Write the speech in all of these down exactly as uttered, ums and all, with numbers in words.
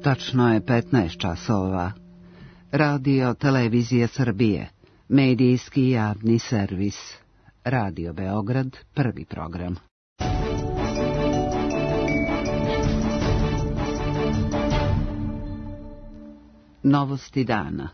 Tačno je petnaest časova. Radio Televizija Srbije, medijski javni servis. Radio Beograd, prvi program. Novosti dana.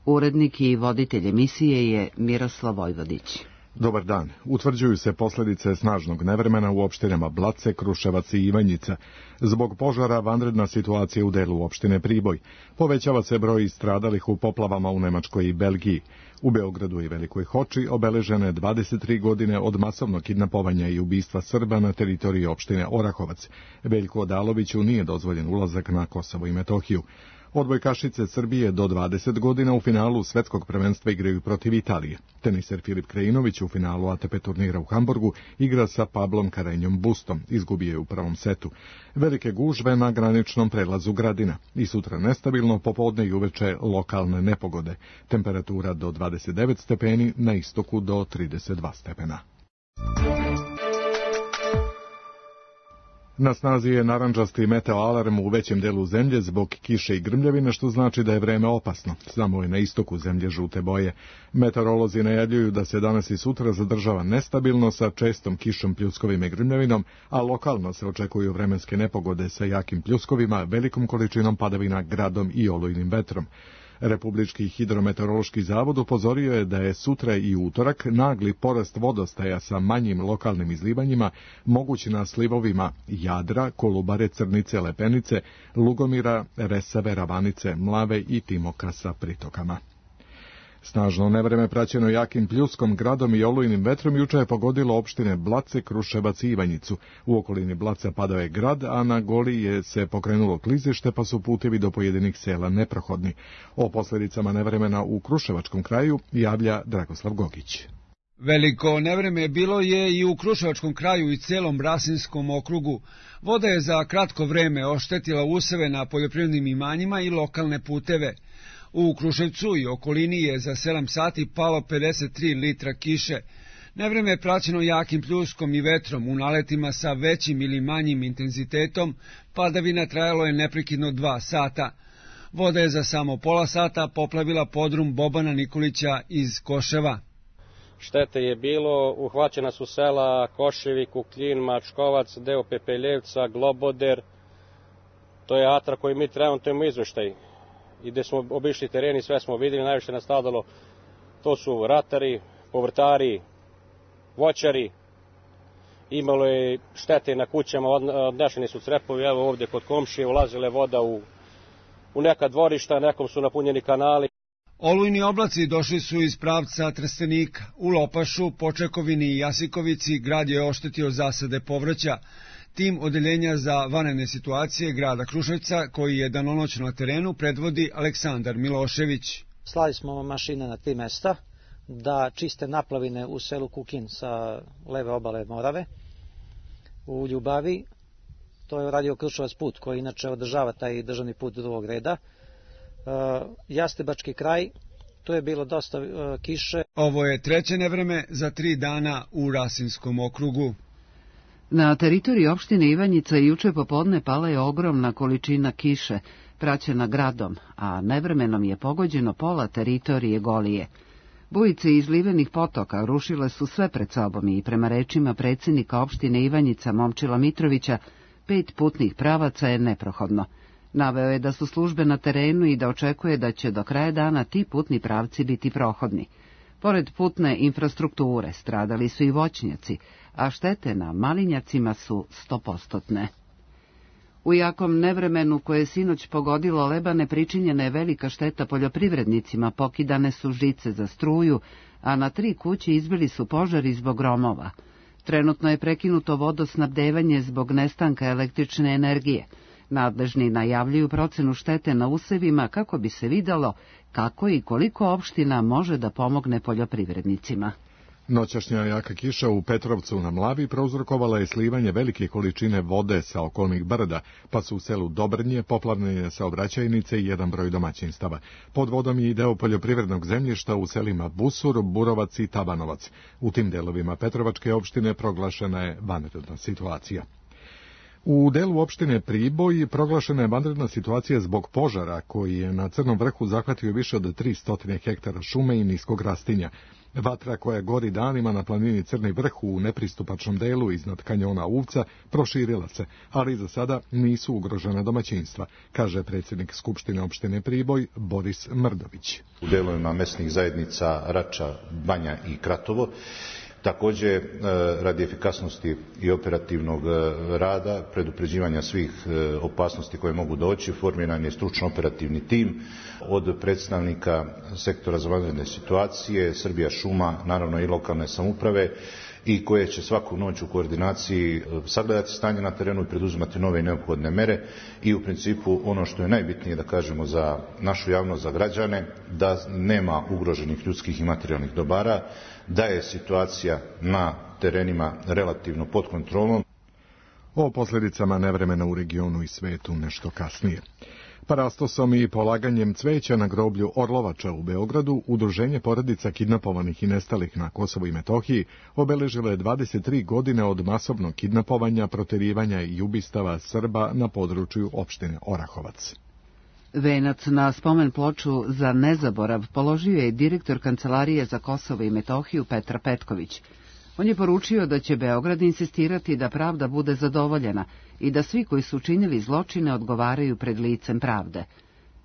Urednik i voditelj emisije je Miroslav Vojvodić. Dobar dan. Utvrđuju se posljedice snažnog nevremena u opštinama Blace, Kruševac i Ivanjica. Zbog požara vanredna situacija u delu opštine Priboj. Povećava se broj stradalih u poplavama u Nemačkoj i Belgiji. U Beogradu i Velikoj Hoči obeležene dvadeset tri godine od masovnog kidnapovanja i ubistva Srba na teritoriji opštine Orahovac. Veljku Odaloviću nije dozvoljen ulazak na Kosovo i Metohiju. Odbojkašice Srbije do dvadeset godina u finalu svetskog prvenstva igraju protiv Italije. Teniser Filip Krajinović u finalu A T P turnira u Hamburgu igra sa Pablom Karenjom Bustom. Izgubio je u prvom setu. Velike gužve na graničnom prelazu Gradina. I sutra nestabilno, popodne i uveče lokalne nepogode. Temperatura do dvadeset devet stepeni, na istoku do trideset dva stepena. Na snazi je narandžasti meteo alarm u većem delu zemlje zbog kiše i grmljavine, što znači da je vreme opasno. Samo je na istoku zemlje žute boje. Meteorolozi najavljuju da se danas i sutra zadržava nestabilno sa čestom kišom, pljuskovima i grmljavinom, a lokalno se očekuju vremenske nepogode sa jakim pljuskovima, velikom količinom padavina, gradom i olujnim vetrom. Republički hidrometeorološki zavod upozorio je da je sutra i utorak nagli porast vodostaja sa manjim lokalnim izlivanjima mogući na slivovima Jadra, Kolubare, Crnice, Lepenice, Lugomira, Resave, Ravanice, Mlave i Timoka sa pritokama. Snažno nevreme praćeno jakim pljuskom, gradom i olujnim vetrom juče je pogodilo opštine Blace, Kruševac i Ivanjicu. U okolini Blaca padao je grad, a na Goli je se pokrenulo klizište, pa su putevi do pojedinih sela neprohodni. O posljedicama nevremena u Kruševačkom kraju javlja Dragoslav Gogić. Veliko nevreme bilo je i u Kruševačkom kraju i celom Rasinskom okrugu. Voda je za kratko vreme oštetila useve na poljoprivrednim imanjima i lokalne puteve. U Kruševcu i okolini je za sedam sati palo pedeset tri litra kiše. Nevreme je praćeno jakim pljuskom i vetrom u naletima sa većim ili manjim intenzitetom. Padavina trajalo je neprekidno dva sata. Voda je za samo pola sata poplavila podrum Bobana Nikolića iz Koševa. Štete je bilo, uhvaćena su sela Koševi, Kuklin, Mačkovac, deo Pepeljevca, Globoder. To je atra koji mi trenutno imamo izveštaj. I gde smo obišli tereni, sve smo vidjeli, najviše nastradalo, to su ratari, povrtari, voćari, imalo je štete na kućama, odnešeni su crepovi, evo ovdje kod komšije, ulazile voda u, u neka dvorišta, nekom su napunjeni kanali. Olujni oblaci došli su iz pravca Trstenika. U Lopašu, Počekovini i Jasikovici grad je oštetio zasade povrća. Tim odeljenja za vanredne situacije grada Kruševca, koji je danonoćno na terenu, predvodi Aleksandar Milošević. Slali smo mašine na tri mesta da čiste naplavine u selu Kukin sa leve obale Morave. U Ljubavi, to je radio Kruševac put, koji inače održava taj državni put drugog reda. Jastebački kraj, to je bilo dosta kiše. Ovo je treće nevreme za tri dana u Rasinskom okrugu. Na teritoriji opštine Ivanjica juče popodne pala je ogromna količina kiše, praćena gradom, a nevremenom je pogođeno pola teritorije Golije. Bujice izlivenih potoka rušile su sve pred sobom i prema rečima predsjednika opštine Ivanjica Momčila Mitrovića, pet putnih pravaca je neprohodno. Naveo je da su službe na terenu i da očekuje da će do kraja dana ti putni pravci biti prohodni. Pored putne infrastrukture stradali su i voćnjaci, a štete na malinjacima su stopostotne. U jakom nevremenu koje je sinoć pogodilo Lebane pričinjena je velika šteta poljoprivrednicima, pokidane su žice za struju, a na tri kuće izbili su požari zbog gromova. Trenutno je prekinuto vodosnabdevanje zbog nestanka električne energije. Nadležni najavljuju procenu štete na usevima kako bi se videlo kako i koliko opština može da pomogne poljoprivrednicima. Noćašnja jaka kiša u Petrovcu na Mlavi prouzrokovala je slivanje velike količine vode sa okolnih brda, pa su u selu Dobrnje poplavljene saobraćajnice i jedan broj domaćinstava. Pod vodom je i deo poljoprivrednog zemljišta u selima Busur, Burovac i Tabanovac. U tim delovima Petrovačke opštine proglašena je vanredna situacija. U delu opštine Priboj proglašena je vanredna situacija zbog požara koji je na Crnom vrhu zahvatio više od tristo hektara šume i niskog rastinja. Vatra koja gori danima na planini Crni vrh u nepristupačnom delu iznad kanjona Uvca proširila se, ali za sada nisu ugrožena domaćinstva, kaže predsjednik Skupštine opštine Priboj Boris Mrdović. U delovima mesnih zajednica Rača, Banja i Kratovo također, radi efikasnosti i operativnog rada, predupređivanja svih opasnosti koje mogu doći, formiran je stručno operativni tim od predstavnika sektora za vanredne situacije, Srbija šuma, naravno i lokalne samouprave, i koje će svaku noć u koordinaciji sagledati stanje na terenu i preduzimati nove i neophodne mere. I u principu ono što je najbitnije da kažemo za našu javnost, za građane, da nema ugroženih ljudskih i materijalnih dobara, da je situacija na terenima relativno pod kontrolom. O posljedicama nevremena u regionu i svetu nešto kasnije. Parastosom i polaganjem cveća na groblju Orlovača u Beogradu, Udruženje porodica kidnapovanih i nestalih na Kosovu i Metohiji obeležilo je dvadeset tri godine od masovnog kidnapovanja, proterivanja i ubistava Srba na području opštine Orahovac. Venac na spomen ploču za nezaborav položio je direktor Kancelarije za Kosovo i Metohiju Petar Petković. On je poručio da će Beograd insistirati da pravda bude zadovoljena i da svi koji su učinili zločine odgovaraju pred licem pravde.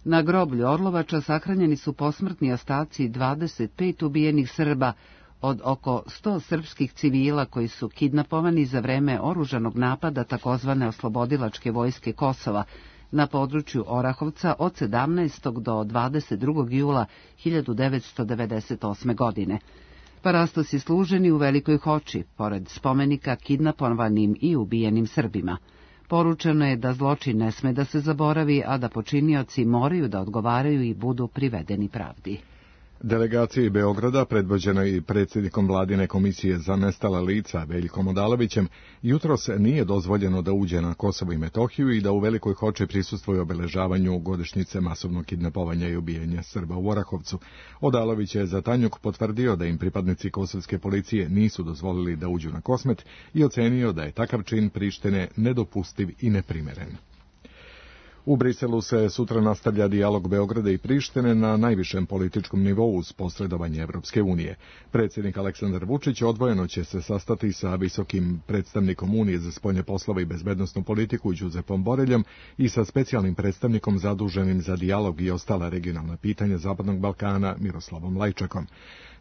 Na groblju Orlovača sahranjeni su posmrtni ostaci dvadeset pet ubijenih Srba od oko sto srpskih civila koji su kidnapovani za vreme oružanog napada takozvane oslobodilačke vojske Kosova na području Orahovca od sedamnaestog do dvadeset drugog jula hiljadu devetsto devedeset osme. godine. Parastos je služeni u Velikoj Hoči, pored spomenika kidnapovanim i ubijenim Srbima. Poručeno je da zločin ne sme da se zaboravi, a da počinioci moraju da odgovaraju i budu privedeni pravdi. Delegaciji Beograda, predvođena i predsjednikom Vladine komisije za nestala lica Veljkom Odalovićem, jutros nije dozvoljeno da uđe na Kosovo i Metohiju i da u Velikoj Hoči prisustvuje obeležavanju godišnjice masovnog kidnapovanja i ubijenja Srba u Orahovcu. Odalović je za Tanjuk potvrdio da im pripadnici kosovske policije nisu dozvolili da uđu na Kosmet i ocenio da je takav čin Prištine nedopustiv i neprimeren. U Briselu se sutra nastavlja dijalog Beograda i Prištine na najvišem političkom nivou uz posredovanje Evropske unije. Predsjednik Aleksandar Vučić odvojeno će se sastati sa visokim predstavnikom Unije za spoljne poslove i bezbednosnu politiku Đuzepom Boreljom i sa specijalnim predstavnikom zaduženim za dijalog i ostala regionalna pitanja Zapadnog Balkana Miroslavom Lajčakom.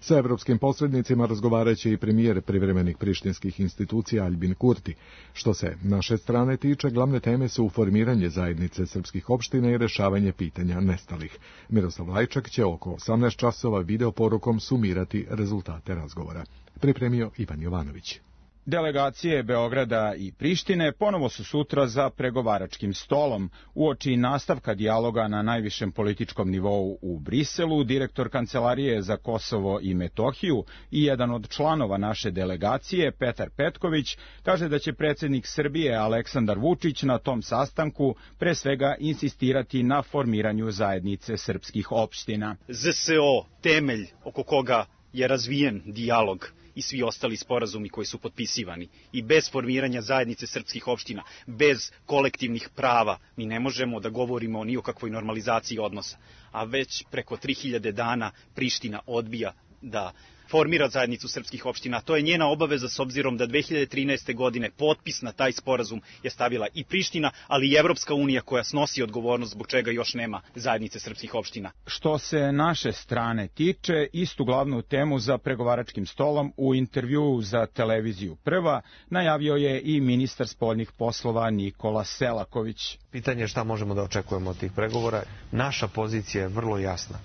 Sa evropskim posrednicima razgovaraće i premijer privremenih prištinskih institucija Albin Kurti. Što se naše strane tiče, glavne teme su formiranje zajednice srpskih opština i rešavanje pitanja nestalih. Miroslav Lajčak će oko osamnaest časova videoporukom sumirati rezultate razgovora. Pripremio Ivan Jovanović. Delegacije Beograda i Prištine ponovo su sutra za pregovaračkim stolom. Uoči nastavka dijaloga na najvišem političkom nivou u Briselu, direktor Kancelarije za Kosovo i Metohiju i jedan od članova naše delegacije, Petar Petković, kaže da će predsjednik Srbije Aleksandar Vučić na tom sastanku pre svega insistirati na formiranju zajednice srpskih opština. Z S O, temelj oko koga je razvijen dijalog i svi ostali sporazumi koji su potpisivani. I bez formiranja zajednice srpskih opština, bez kolektivnih prava, mi ne možemo da govorimo ni o kakvoj normalizaciji odnosa. A već preko tri hiljade dana Priština odbija da formira zajednicu srpskih opština. To je njena obaveza s obzirom da dve hiljade trinaeste. godine potpis na taj sporazum je stavila i Priština, ali i Evropska unija koja snosi odgovornost zbog čega još nema zajednice srpskih opština. Što se naše strane tiče, istu glavnu temu za pregovaračkim stolom u intervjuu za televiziju Prva najavio je i ministar spoljnih poslova Nikola Selaković. Pitanje je šta možemo da očekujemo od tih pregovora. Naša pozicija je vrlo jasna.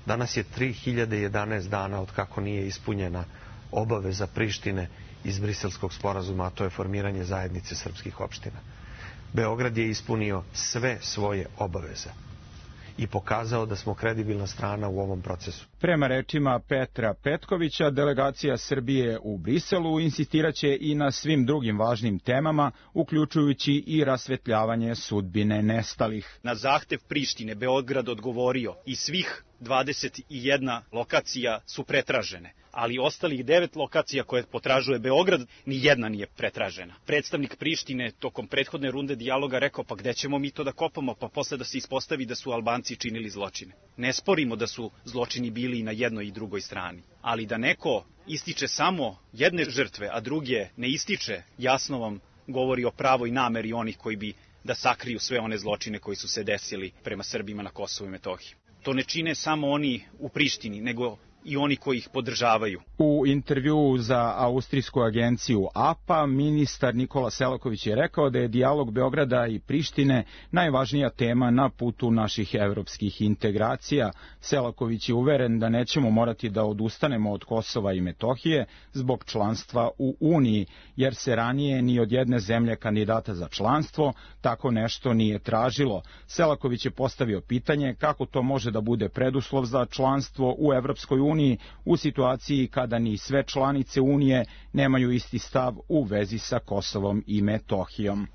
Danas je tri hiljade jedanaest dana od kako nije ispunjena obaveza Prištine iz Briselskog sporazuma, a to je formiranje zajednice srpskih opština. Beograd je ispunio sve svoje obaveze i pokazao da smo kredibilna strana u ovom procesu. Prema rečima Petra Petkovića, delegacija Srbije u Briselu insistiraće i na svim drugim važnim temama, uključujući i rasvetljavanje sudbine nestalih. Na zahtev Prištine Beograd odgovorio i svih dvadeset jedna lokacija su pretražene, ali ostalih devet lokacija koje potražuje Beograd, ni jedna nije pretražena. Predstavnik Prištine tokom prethodne runde dijaloga rekao, pa gde ćemo mi to da kopamo, pa posle da se ispostavi da su Albanci činili zločine. Ne sporimo da su zločini bili i na jednoj i drugoj strani, ali da neko ističe samo jedne žrtve, a druge ne ističe, jasno vam govori o pravoj nameri onih koji bi da sakriju sve one zločine koji su se desili prema Srbima na Kosovu i Metohiji. To ne čine samo oni u Prištini, nego i oni koji ih podržavaju. U intervjuu za austrijsku agenciju A P A, ministar Nikola Selaković je rekao da je dijalog Beograda i Prištine najvažnija tema na putu naših evropskih integracija. Selaković je uveren da nećemo morati da odustanemo od Kosova i Metohije zbog članstva u Uniji, jer se ranije ni od jedne zemlje kandidata za članstvo tako nešto nije tražilo. Selaković je postavio pitanje kako to može da bude preduslov za članstvo u Evropskoj uniji u situaciji kada ni sve članice Unije nemaju isti stav u vezi sa Kosovom i Metohijom.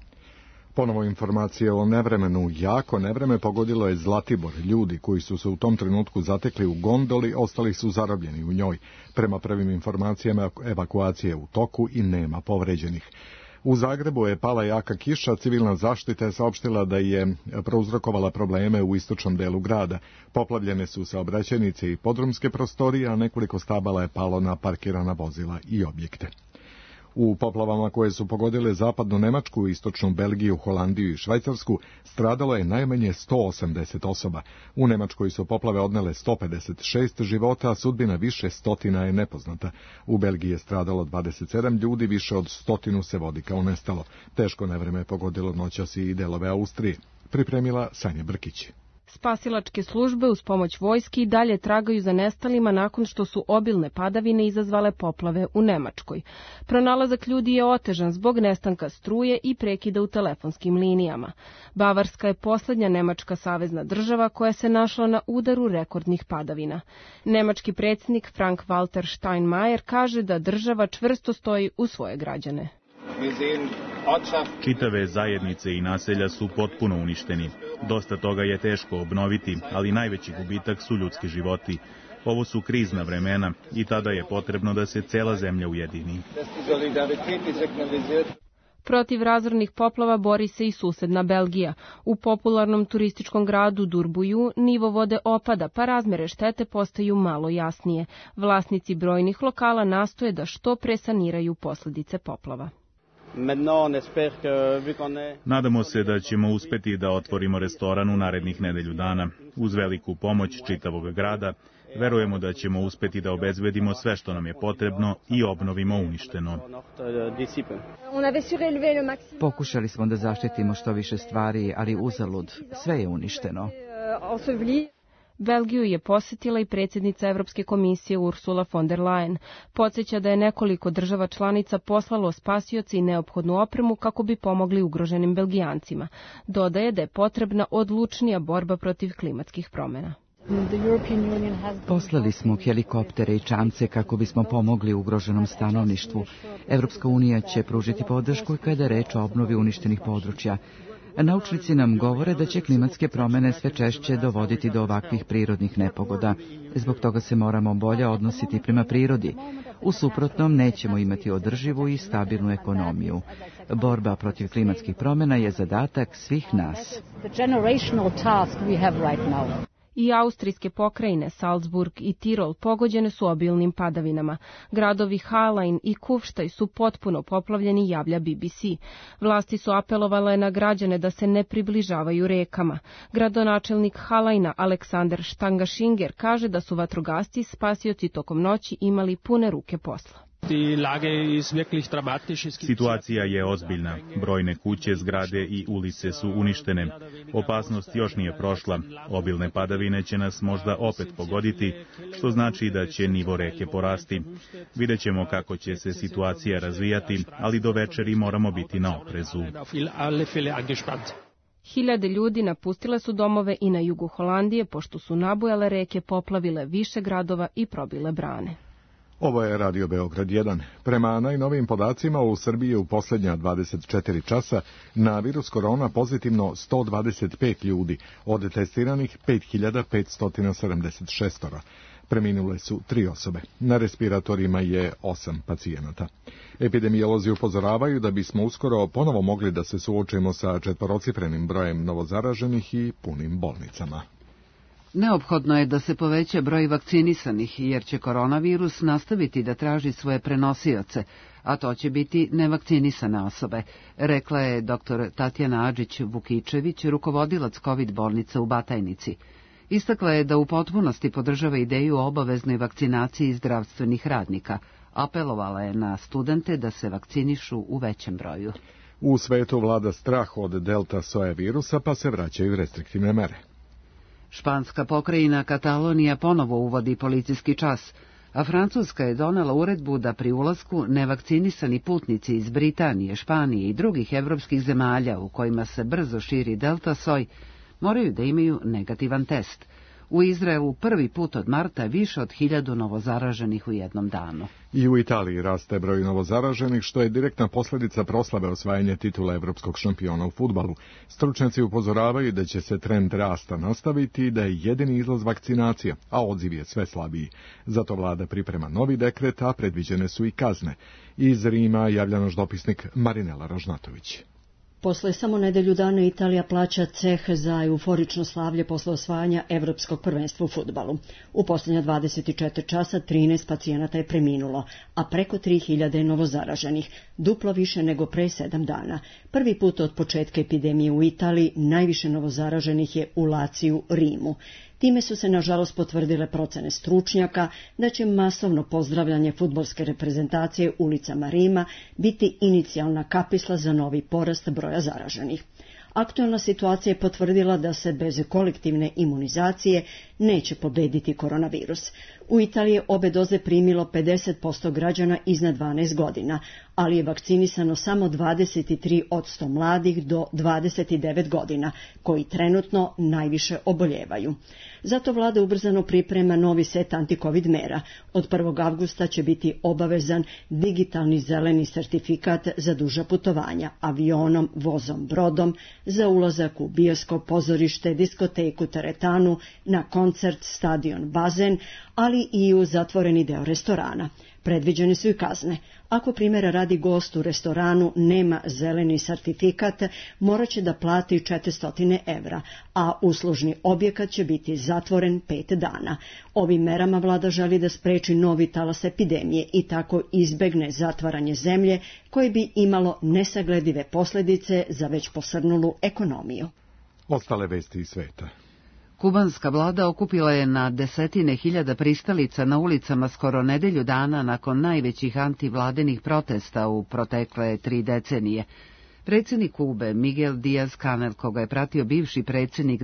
Ponovo informacije o nevremenu. Jako nevreme pogodilo je Zlatibor. Ljudi koji su se u tom trenutku zatekli u gondoli, ostali su zarobljeni u njoj. Prema prvim informacijama, evakuacije u toku i nema povređenih. U Zagrebu je pala jaka kiša, civilna zaštita je saopštila da je prouzrokovala probleme u istočnom delu grada. Poplavljene su saobraćajnice i podrumske prostorije, a nekoliko stabala je palo na parkirana vozila i objekte. U poplavama koje su pogodile zapadnu Nemačku, istočnu Belgiju, Holandiju i Švajcarsku stradalo je najmanje sto osamdeset osoba. U Nemačkoj su poplave odnele sto pedeset šest života, a sudbina više stotina je nepoznata. U Belgiji je stradalo dvadeset sedam ljudi, više od stotinu se vodi kao nestalo. Teško nevreme je pogodilo noćas i delove Austrije. Pripremila Sanja Brkić. Spasilačke službe uz pomoć vojski i dalje tragaju za nestalima nakon što su obilne padavine izazvale poplave u Nemačkoj. Pronalazak ljudi je otežan zbog nestanka struje i prekida u telefonskim linijama. Bavarska je poslednja nemačka savezna država koja se našla na udaru rekordnih padavina. Nemački predsjednik Frank-Walter Steinmeier kaže da država čvrsto stoji uz svoje građane. Čitave zajednice i naselja su potpuno uništeni. Dosta toga je teško obnoviti, ali najveći gubitak su ljudski životi. Ovo su krizna vremena i tada je potrebno da se cela zemlja ujedini. Protiv razornih poplava bori se i susedna Belgija. U popularnom turističkom gradu Durbuju nivo vode opada, pa razmere štete postaju malo jasnije. Vlasnici brojnih lokala nastoje da što pre saniraju posljedice poplava. Nadamo se da ćemo uspeti da otvorimo restoran u narednih nedelju dana. Uz veliku pomoć čitavog grada, verujemo da ćemo uspeti da obezbedimo sve što nam je potrebno i obnovimo uništeno. Pokušali smo da zaštitimo što više stvari, ali uzalud, sve je uništeno. Belgiju je posjetila i predsjednica Evropske komisije Ursula von der Leyen. Podsjeća da je nekoliko država članica poslalo spasioce i neophodnu opremu kako bi pomogli ugroženim Belgijancima. Dodaje da je potrebna odlučnija borba protiv klimatskih promjena. Poslali smo helikoptere i čamce kako bismo pomogli ugroženom stanovništvu. Evropska unija će pružiti podršku kada je reč o obnovi uništenih područja. Naučnici nam govore da će klimatske promjene sve češće dovoditi do ovakvih prirodnih nepogoda. Zbog toga se moramo bolje odnositi prema prirodi. U suprotnom nećemo imati održivu i stabilnu ekonomiju. Borba protiv klimatskih promjena je zadatak svih nas. I austrijske pokrajine Salzburg i Tirol pogođene su obilnim padavinama. Gradovi Hallein i Kufštaj su potpuno poplavljeni, javlja B B C. Vlasti su apelovale na građane da se ne približavaju rekama. Gradonačelnik Halleina Aleksander Stangaschinger kaže da su vatrogasci spasioci tokom noći imali pune ruke posla. Situacija je ozbiljna. Brojne kuće, zgrade i ulice su uništene. Opasnost još nije prošla. Obilne padavine će nas možda opet pogoditi, što znači da će nivo reke porasti. Vidjet ćemo kako će se situacija razvijati, ali do večeri moramo biti na oprezu. Hiljade ljudi napustile su domove i na jugu Holandije, pošto su nabujale reke poplavile više gradova i probile brane. Ovo je Radio Beograd jedan. Prema najnovijim podacima u Srbiji u posljednja dvadeset četiri časa na virus korona pozitivno sto dvadeset pet ljudi, od testiranih pet hiljada petsto sedamdeset šest. Preminule su tri osobe. Na respiratorima je osam pacijenata. Epidemiolozi upozoravaju da bismo uskoro ponovo mogli da se suočimo sa četvorocifrenim brojem novozaraženih i punim bolnicama. Neophodno je da se poveća broj vakcinisanih, jer će koronavirus nastaviti da traži svoje prenosioce, a to će biti nevakcinisane osobe, rekla je doktor Tatjana Adžić-Vukičević, rukovodilac COVID bolnice u Batajnici. Istakla je da u potpunosti podržava ideju o obaveznoj vakcinaciji zdravstvenih radnika. Apelovala je na studente da se vakcinišu u većem broju. U svetu vlada strah od delta soja virusa, pa se vraćaju restriktivne mere. Španska pokrajina Katalonija ponovo uvodi policijski čas, a Francuska je donela uredbu da pri ulasku nevakcinisani putnici iz Britanije, Španije i drugih evropskih zemalja u kojima se brzo širi delta soj moraju da imaju negativan test. U Izraelu prvi put od marta više od hiljadu novozaraženih u jednom danu. I u Italiji raste broj novozaraženih, što je direktna posljedica proslave osvajanja titula evropskog šampiona u fudbalu. Stručnjaci upozoravaju da će se trend rasta nastaviti i da je jedini izlaz vakcinacija, a odziv je sve slabiji. Zato vlada priprema novi dekret, a predviđene su i kazne. Iz Rima javlja naš dopisnik Marinela Ražnatović. Posle samo nedelju dana Italija plaća ceh za euforično slavlje posle osvajanja evropskog prvenstva u fudbalu. U posljednja dvadeset četiri časa trinaest pacijenata je preminulo, a preko tri hiljade je novozaraženih, duplo više nego pre sedam dana. Prvi put od početka epidemije u Italiji najviše novozaraženih je u Laciju, Rimu. Time su se, nažalost, potvrdile procene stručnjaka da će masovno pozdravljanje fudbalske reprezentacije ulicama Rima biti inicijalna kapisla za novi porast broja zaraženih. Aktualna situacija je potvrdila da se bez kolektivne imunizacije neće pobediti koronavirus. U Italiji je obe doze primilo pedeset posto građana iznad dvanaest godina, ali je vakcinisano samo dvadeset tri posto mladih do dvadeset devet godina, koji trenutno najviše oboljevaju. Zato vlada ubrzano priprema novi set antikovid mera. Od prvog avgusta će biti obavezan digitalni zeleni sertifikat za duža putovanja, avionom, vozom, brodom, za ulazak u bioskop, pozorište, diskoteku, teretanu, na koncert, stadion, bazen, ali i u zatvoreni deo restorana. Predviđene su i kazne. Ako primjera radi gost u restoranu nema zeleni sertifikat, morat će da plati četiristo evra, a uslužni objekat će biti zatvoren pet dana. Ovim merama vlada želi da spreči novi talas epidemije i tako izbegne zatvaranje zemlje koje bi imalo nesagledive posljedice za već posrnulu ekonomiju. Ostale vesti iz sveta. Kubanska vlada okupila je na desetine hiljada pristalica na ulicama skoro nedelju dana nakon najvećih antivladenih protesta u protekle tri decenije. Predsjednik Kube, Miguel Díaz-Canel, koga je pratio bivši predsjednik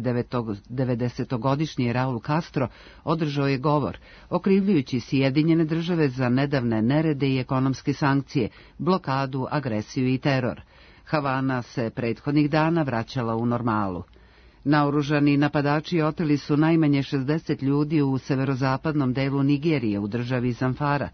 devedesetogodišnji Raul Castro, održao je govor, okrivljujući Sjedinjene države za nedavne nerede i ekonomske sankcije, blokadu, agresiju i teror. Havana se prethodnih dana vraćala u normalu. Naoružani napadači oteli su najmanje šezdeset ljudi u severozapadnom delu Nigerije u državi Zamfara,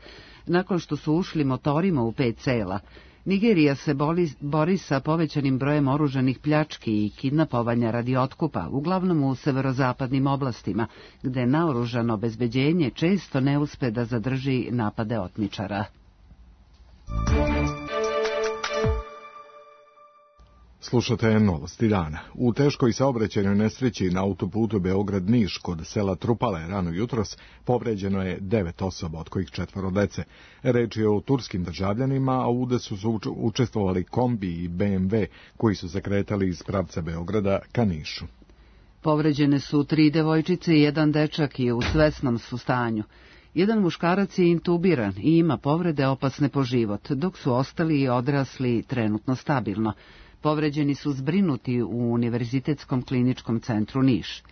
nakon što su ušli motorima u pet sela. Nigerija se boli, bori sa povećanim brojem oružanih pljački i kidnapovanja radi otkupa, uglavnom u severozapadnim oblastima, gde naoružano obezbeđenje često ne uspe da zadrži napade otmičara. Slušate novosti dana. U teškoj saobraćajnoj nesreći na autoputu Beograd-Niš kod sela Trupale rano jutros povređeno je devet osoba, od kojih četvoro dece. Reč je o turskim državljanima, a u udesu su učestvovali kombi i be em ve koji su se kretali iz pravca Beograda ka Nišu. Povređene su tri devojčice i jedan dečak i u svesnom su stanju. Jedan muškarac je intubiran i ima povrede opasne po život, dok su ostali i odrasli trenutno stabilno. Povređeni su zbrinuti u Univerzitetskom kliničkom centru Niš.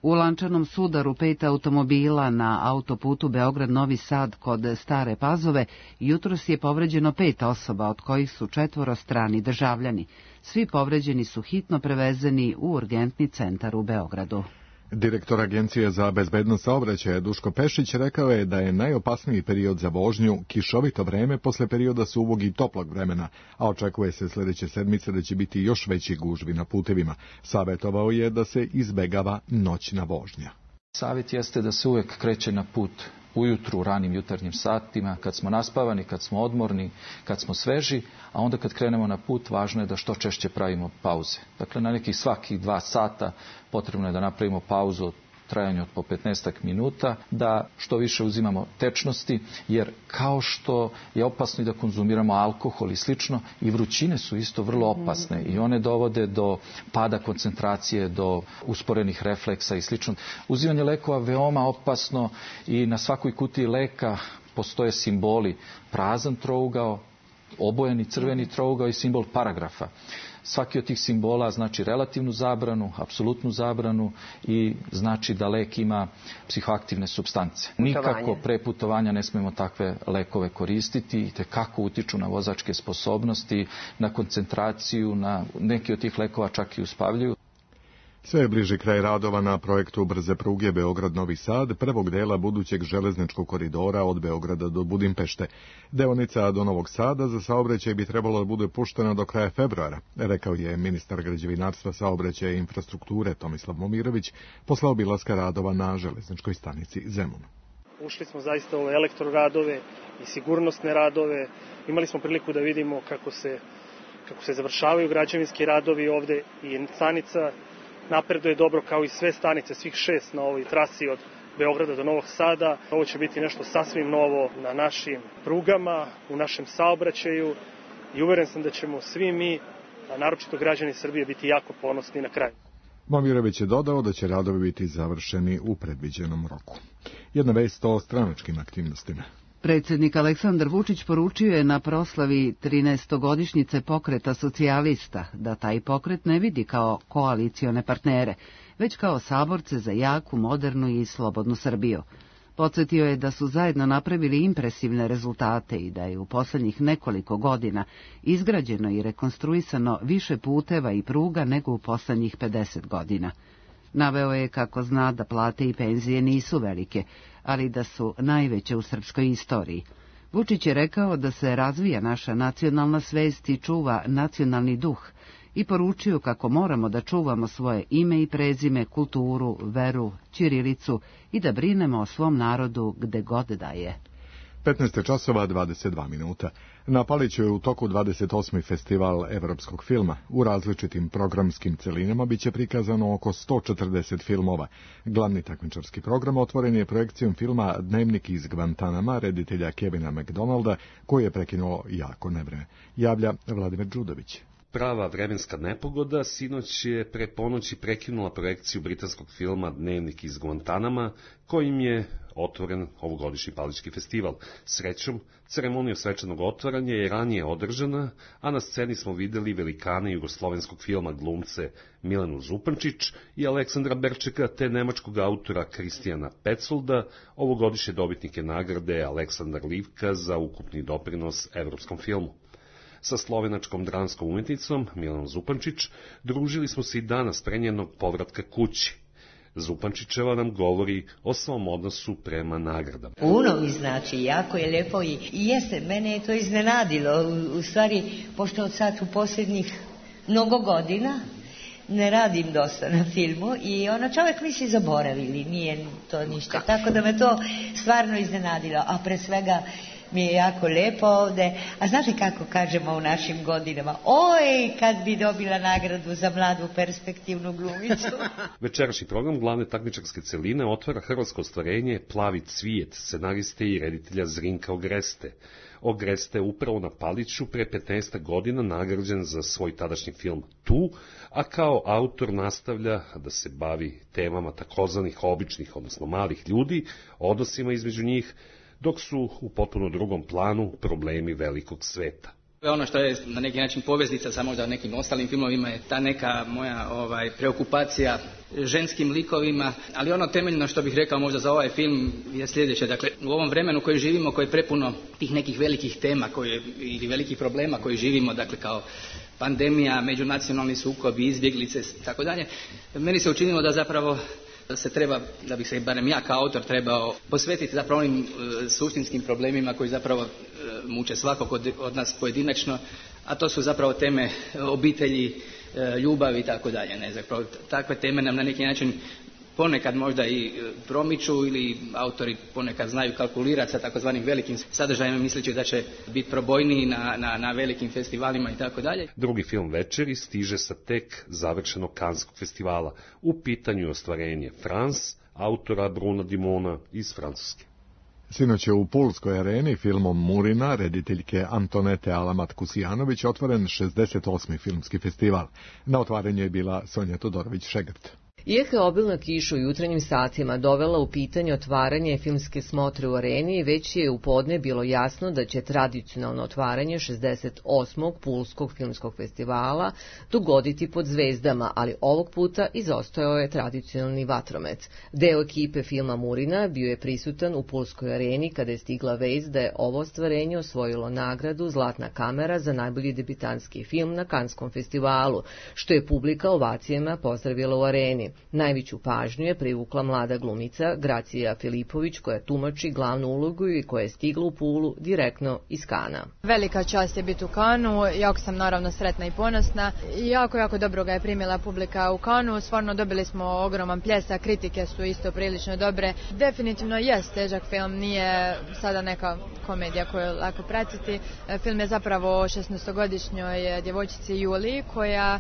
U lančanom sudaru pet automobila na autoputu Beograd-Novi Sad kod Stare Pazove jutros je povređeno pet osoba, od kojih su četvoro strani državljani. Svi povređeni su hitno prevezeni u urgentni centar u Beogradu. Direktor Agencije za bezbednost saobraćaja Duško Pešić rekao je da je najopasniji period za vožnju kišovito vreme posle perioda suvog i toplog vremena, a očekuje se sljedeće sedmice da će biti još veći gužvi na putevima. Savetovao je da se izbegava noćna vožnja. Savjet jeste da se uvek kreće na put ujutru, u ranim jutarnjim satima, kad smo naspavani, kad smo odmorni, kad smo sveži, a onda kad krenemo na put, važno je da što češće pravimo pauze. Dakle, na nekih svakih dva sata potrebno je da napravimo pauzu od trajanju od po petnaestak minuta, da što više uzimamo tečnosti, jer kao što je opasno i da konzumiramo alkohol i slično, i vrućine su isto vrlo opasne i one dovode do pada koncentracije, do usporenih refleksa i slično. Uzimanje lekova veoma opasno i na svakoj kutiji leka postoje simboli: prazan trougao, obojeni crveni trougao i simbol paragrafa. Svaki od tih simbola znači relativnu zabranu, apsolutnu zabranu i znači da lek ima psihoaktivne supstance. Nikako pre putovanja ne smemo takve lekove koristiti, te kako utiču na vozačke sposobnosti, na koncentraciju, na neki od tih lekova čak i uspavljuju. Sve je bliži kraj radova na projektu brze pruge Beograd-Novi Sad, prvog dela budućeg železničkog koridora od Beograda do Budimpešte. Deonica do Novog Sada za saobraćaj bi trebalo da bude puštena do kraja februara, rekao je ministar građevinarstva, saobraćaja i infrastrukture Tomislav Momirović posle obilaska radova na železničkoj stanici Zemun. Ušli smo zaista u ove elektroradove i sigurnosne radove. Imali smo priliku da vidimo kako se, kako se završavaju građevinski radovi ovde i stanica napreduje dobro kao i sve stanice, svih šest na ovoj trasi od Beograda do Novog Sada. Ovo će biti nešto sasvim novo na našim prugama, u našem saobraćaju i uveren sam da ćemo svi mi, a naročito građani Srbije, biti jako ponosni na kraju. Momirović je dodao da će radovi biti završeni u predviđenom roku. Jedna vest o stranačkim aktivnostima. Predsjednik Aleksandar Vučić poručio je na proslavi trinaestogodišnjice pokreta socijalista da taj pokret ne vidi kao koalicione partnere, već kao saborce za jaku, modernu i slobodnu Srbiju. Podsjetio je da su zajedno napravili impresivne rezultate i da je u posljednjih nekoliko godina izgrađeno i rekonstruisano više puteva i pruga nego u posljednjih pedeset godina. Naveo je kako zna da plate i penzije nisu velike, ali da su najveće u srpskoj istoriji. Vučić je rekao da se razvija naša nacionalna svest i čuva nacionalni duh i poručio kako moramo da čuvamo svoje ime i prezime, kulturu, veru, ćirilicu i da brinemo o svom narodu gde god da je. petnaest časova dvadeset dva minuta. Na Paliću je u toku dvadeset osmi festival evropskog filma. U različitim programskim celinama biće prikazano oko sto četrdeset filmova. Glavni takmičarski program otvoren je projekcijom filma Dnevnik iz Gvantanama reditelja Kevina McDonalda, koji je prekinuo jako nevreme. Javlja Vladimir Đudović. Prava vremenska nepogoda sinoć je pre ponoći prekinula projekciju britanskog filma Dnevnik iz Gvantanama, kojim je otvoren ovogodišnji Palićki festival. Srećom, ceremonija svečanog otvaranja je ranije održana, a na sceni smo videli velikane jugoslovenskog filma, glumce Milenu Zupančić i Aleksandra Berčeka, te nemačkog autora Kristijana Petsolda, ovogodišnje dobitnike nagrade Aleksandar Livka za ukupni doprinos evropskom filmu. Sa slovenačkom dramskom umetnicom Milanom Zupančić družili smo se i danas pre njenog povratka kući. Zupančićeva nam govori o svom odnosu prema nagradama. Puno mi znači, jako je lijepo i, i jeste, mene je to iznenadilo. U, u stvari, pošto od sad u posljednjih mnogo godina ne radim dosta na filmu i ono čovjek misli zaboravili, nije to ništa. Tako da me to stvarno iznenadilo, a pre svega mi je jako lijepo ovde. A znate kako kažemo u našim godinama? Oj, kad bi dobila nagradu za mladu perspektivnu glumicu. Večerašnji program glavne takmičarske celine otvara hrvatsko ostvarenje Plavi cvijet, scenariste i reditelja Zrinka Ogreste. Ogreste je upravo na Paliću pre petnaest godina nagrađen za svoj tadašnji film Tu, a kao autor nastavlja da se bavi temama takozvanih običnih, odnosno malih ljudi, odnosima između njih, dok su u potpuno drugom planu problemi velikog sveta. Ono što je na neki način poveznica sa možda nekim ostalim filmovima je ta neka moja ovaj, preokupacija ženskim likovima, ali ono temeljno što bih rekao možda za ovaj film je sljedeće. Dakle, u ovom vremenu koji živimo, koje je prepuno tih nekih velikih tema koje, ili velikih problema koji živimo, dakle kao pandemija, međunacionalni sukobi, izbjeglice, tako dalje, meni se učinilo da zapravo se treba, da bih se barem ja kao autor trebao posvetiti zapravo onim e, suštinskim problemima koji zapravo e, muče svakog od, od nas pojedinačno, a to su zapravo teme obitelji, e, ljubavi i tako dalje. Ne, zapravo takve teme nam na neki način ponekad možda i promiču ili autori ponekad znaju kalkulirati sa takozvanim velikim sadržajima misleći da će biti probojniji na, na, na velikim festivalima i tako dalje. Drugi film večeri stiže sa tek završenog Kanskog festivala. U pitanju je ostvarenje France, autora Bruna Dimona iz Francuske. Sinoć je u Pulskoj areni filmom Murina, rediteljke Antonete Alamat-Kusijanović, otvoren šezdeset osmi filmski festival. Na otvaranju je bila Sonja Todorović-Šegrt. Iako je obilna kiša u jutrenjim satima dovela u pitanje otvaranje filmske smotre u areni, već je u podne bilo jasno da će tradicionalno otvaranje šezdeset osmog Pulskog filmskog festivala dogoditi pod zvezdama, ali ovog puta izostajao je tradicionalni vatromet. Deo ekipe filma Murina bio je prisutan u Pulskoj areni kada je stigla vest da je ovo ostvarenje osvojilo nagradu Zlatna kamera za najbolji debitanski film na Kanskom festivalu, što je publika ovacijama pozdravila u areni. Najveću pažnju je privukla mlada glumica Gracija Filipović, koja tumači glavnu ulogu i koja je stigla u Pulu direktno iz Kana. Velika čast je biti u Kanu, jako sam naravno sretna i ponosna. Jako, jako dobro ga je primila publika u Kanu, stvarno dobili smo ogroman pljesak, kritike su isto prilično dobre. Definitivno jest težak film, nije sada neka komedija koju je lako pratiti. Film je zapravo o šesnaestogodišnjoj djevojčici Juliji koja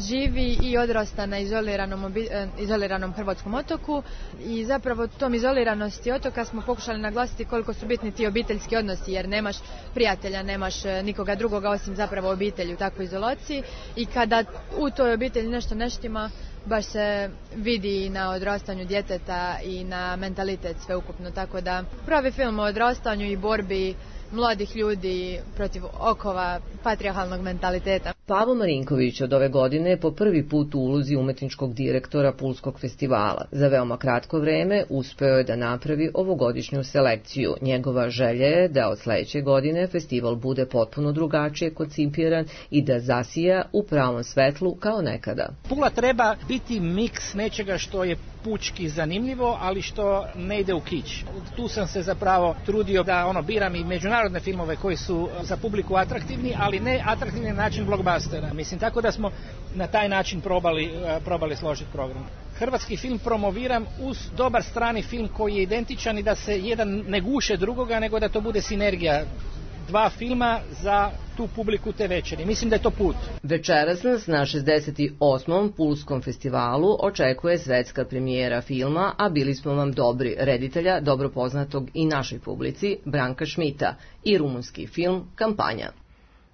živi i odrasta na izoliranom, izoliranom hrvatskom otoku i zapravo tom izoliranosti otoka smo pokušali naglasiti koliko su bitni ti obiteljski odnosi, jer nemaš prijatelja, nemaš nikoga drugoga osim zapravo obitelji u takvoj izolaciji i kada u toj obitelji nešto ne štima, baš se vidi na odrastanju djeteta i na mentalitet sveukupno, tako da pravi film o odrastanju i borbi mladih ljudi protiv okova patrijarhalnog mentaliteta. Pavo Marinković od ove godine je po prvi put u ulozi umetničkog direktora Pulskog festivala. Za veoma kratko vreme uspeo je da napravi ovogodišnju selekciju. Njegova želja je da od sledeće godine festival bude potpuno drugačije koncipiran i da zasija u pravom svetlu kao nekada. Pula treba biti miks nečega što je pučki zanimljivo, ali što ne ide u kić. Tu sam se zapravo trudio da ono biram i međunarodne filmove koji su za publiku atraktivni, ali ne atraktivni na način blockbustera. Mislim, tako da smo na taj način probali, probali složiti program. Hrvatski film promoviram uz dobar strani film koji je identičan i da se jedan ne guše drugoga, nego da to bude sinergija dva filma za tu publiku te večeri. Mislim da je to put. Večeras nas na šezdeset osmom Pulskom festivalu očekuje svetska premijera filma, a bili smo vam dobri, reditelja, dobro poznatog i našoj publici, Branka Šmita, i rumunski film Kampanja.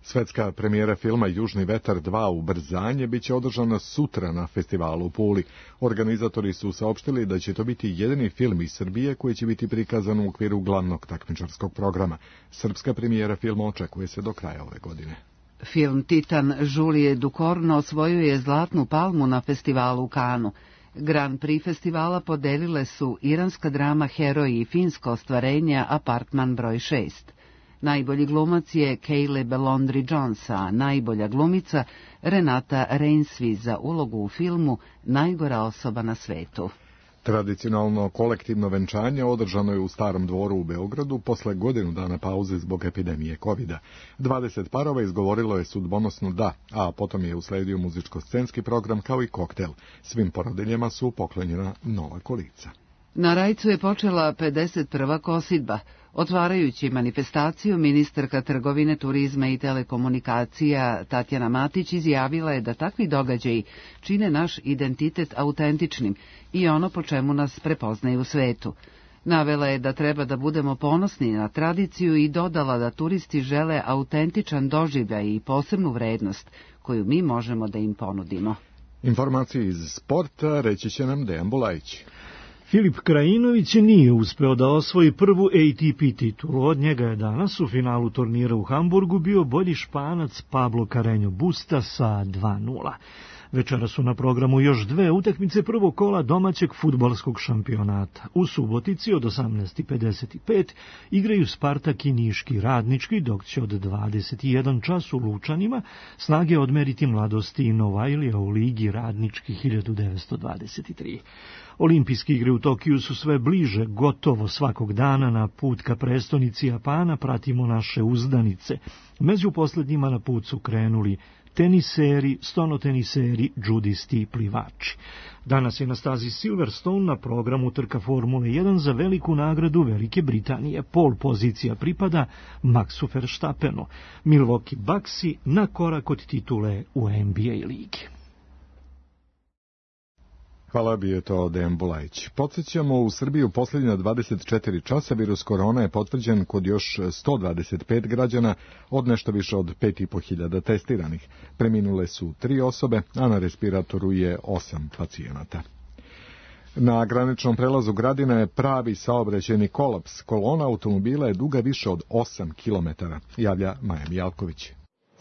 Svetska premijera filma Južni vetar dva Ubrzanje biće održana sutra na festivalu u Puli. Organizatori su saopštili da će to biti jedini film iz Srbije koji će biti prikazan u okviru glavnog takmičarskog programa. Srpska premijera filma očekuje se do kraja ove godine. Film Titan Julije Ducorno osvojuje Zlatnu palmu na festivalu u Kanu. Grand Prix festivala podelile su iranska drama Heroji i finsko ostvarenje Apartman broj šest. Najbolji glumac je Caleb Londry Jones, a najbolja glumica Renata Reinsvi za ulogu u filmu Najgora osoba na svetu. Tradicionalno kolektivno venčanje održano je u Starom dvoru u Beogradu posle godinu dana pauze zbog epidemije kovida. dvadeset parova izgovorilo je sudbonosno da, a potom je usledio muzičko-scenski program kao i koktel. Svim porodiljama su poklonjena nova kolica. Na Rajcu je počela pedeset prva kosidba. Otvarajući manifestaciju, ministarka trgovine, turizma i telekomunikacija Tatjana Matić izjavila je da takvi događaji čine naš identitet autentičnim i ono po čemu nas prepoznaju u svetu. Navela je da treba da budemo ponosni na tradiciju i dodala da turisti žele autentičan doživljaj i posebnu vrednost koju mi možemo da im ponudimo. Informacije iz sporta reći će nam Dejan Bulajić. Filip Krajinović nije uspeo da osvoji prvu A T P titulu. Od njega je danas u finalu turnira u Hamburgu bio bolji Španac Pablo Carreño Busta sa dva nula. Večera su na programu još dve utakmice prvog kola domaćeg fudbalskog šampionata. U Subotici od osamnaest pedeset pet igraju Spartak i Niški Radnički, dok će od dvadeset jedan čas u Lučanima snage odmeriti Mladosti i Novajlija u Ligi Radnički hiljadu devetsto dvadeset tri. Olimpijske igre u Tokiju su sve bliže, gotovo svakog dana na put ka prestonici Japana pratimo naše uzdanice. Među poslednjima na put su krenuli teniseri, stonoteniseri, džudisti i plivači. Danas je na stazi Silverstone na programu trka Formule jedan za veliku nagradu Velike Britanije. Pol pozicija pripada Maxu Verstappenu. Milwaukee Bucksi na korak od titule u N B A ligi. Hvala, bio je to Dejan Bulajić. Podsjećamo, u Srbiji u posljednja dvadeset četiri časa virus korona je potvrđen kod još sto dvadeset pet građana od nešto više od pet i po hiljada testiranih. Preminule su tri osobe, a na respiratoru je osam pacijenata. Na graničnom prelazu Gradina je pravi saobraćajni kolaps. Kolona automobila je duga više od osam kilometara, javlja Maja Mijalković.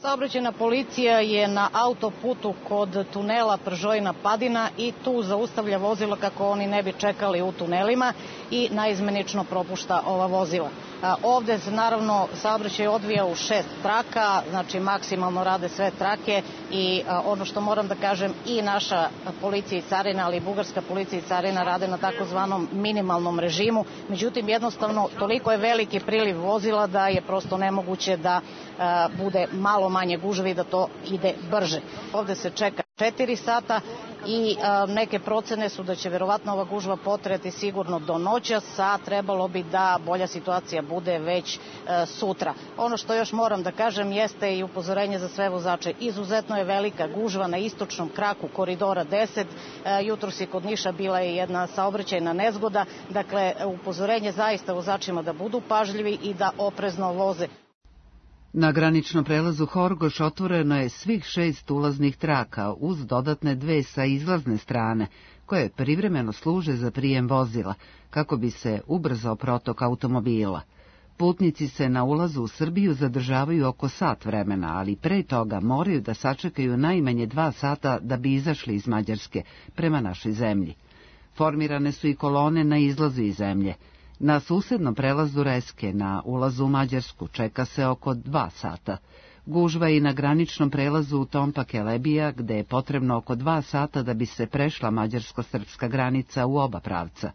Saobraćajna policija je na autoputu kod tunela Pržojna Padina i tu zaustavlja vozila kako oni ne bi čekali u tunelima i naizmenično propušta ova vozila. Ovde se naravno saobraćaj odvija u šest traka, znači maksimalno rade sve trake i ono što moram da kažem, i naša policija i carina, ali i bugarska policija i carina rade na takozvanom minimalnom režimu. Međutim, jednostavno toliko je veliki priliv vozila da je prosto nemoguće da bude malo manje gužve i da to ide brže. Ovde se čeka četiri sata i a, neke procene su da će verovatno ova gužva potrajati sigurno do noćas, a trebalo bi da bolja situacija bude već a, sutra. Ono što još moram da kažem jeste i upozorenje za sve vozače. Izuzetno je velika gužva na istočnom kraku koridora deset. A, jutros je kod Niša bila je jedna saobraćajna nezgoda. Dakle, upozorenje zaista vozačima da budu pažljivi i da oprezno voze. Na graničnom prelazu Horgoš otvoreno je svih šest ulaznih traka uz dodatne dve sa izlazne strane, koje privremeno služe za prijem vozila, kako bi se ubrzao protok automobila. Putnici se na ulazu u Srbiju zadržavaju oko sat vremena, ali pre toga moraju da sačekaju najmanje dva sata da bi izašli iz Mađarske prema našoj zemlji. Formirane su i kolone na izlazu iz zemlje. Na susednom prelazu Reske, na ulazu u Mađarsku, čeka se oko dva sata. Gužva i na graničnom prelazu u Tompa Kelebija, gde je potrebno oko dva sata da bi se prešla mađarsko-srpska granica u oba pravca.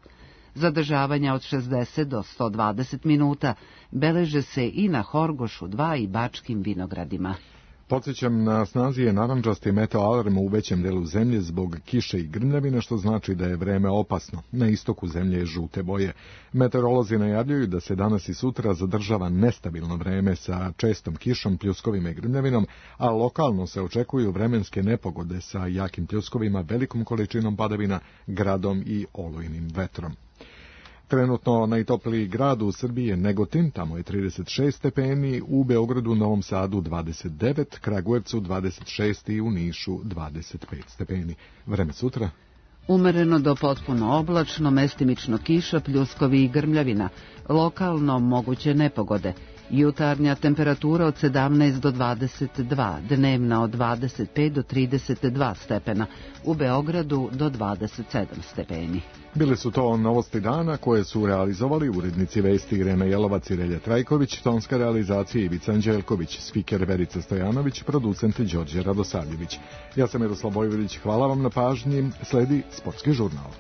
Zadržavanja od šezdeset do sto dvadeset minuta beleže se i na Horgošu dva i Bačkim Vinogradima. Podsjećam, na snazi je narandžasti meteo alarm u većem delu zemlje zbog kiše i grmljavina, što znači da je vreme opasno. Na istoku zemlje je žute boje. Meteorolozi najavljuju da se danas i sutra zadržava nestabilno vreme sa čestom kišom, pljuskovima i grmljavinom, a lokalno se očekuju vremenske nepogode sa jakim pljuskovima, velikom količinom padavina, gradom i olujnim vetrom. Trenutno najtopliji grad u Srbiji je Negotin, tamo je trideset šest stepeni, u Beogradu, Novom Sadu dvadeset devet, Kragujevcu dvadeset šest i u Nišu dvadeset pet stepeni. Vreme sutra? Umereno do potpuno oblačno, mestimično kiša, pljuskovi i grmljavina, lokalno moguće nepogode. Jutarnja temperatura od sedamnaest do dvadeset dva, dnevna od dvadeset pet do trideset dva stepena, u Beogradu do dvadeset sedam stepeni. Bile su to novosti dana koje su realizovali urednici vesti Irena Jelovac i Relja Trajković, tonska realizacija Ivica Anđelković, spiker Verica Stojanović, producent Đorđe Radosavljević. Ja sam Miroslav Bojvilić, hvala vam na pažnji, sledi Sportski žurnal.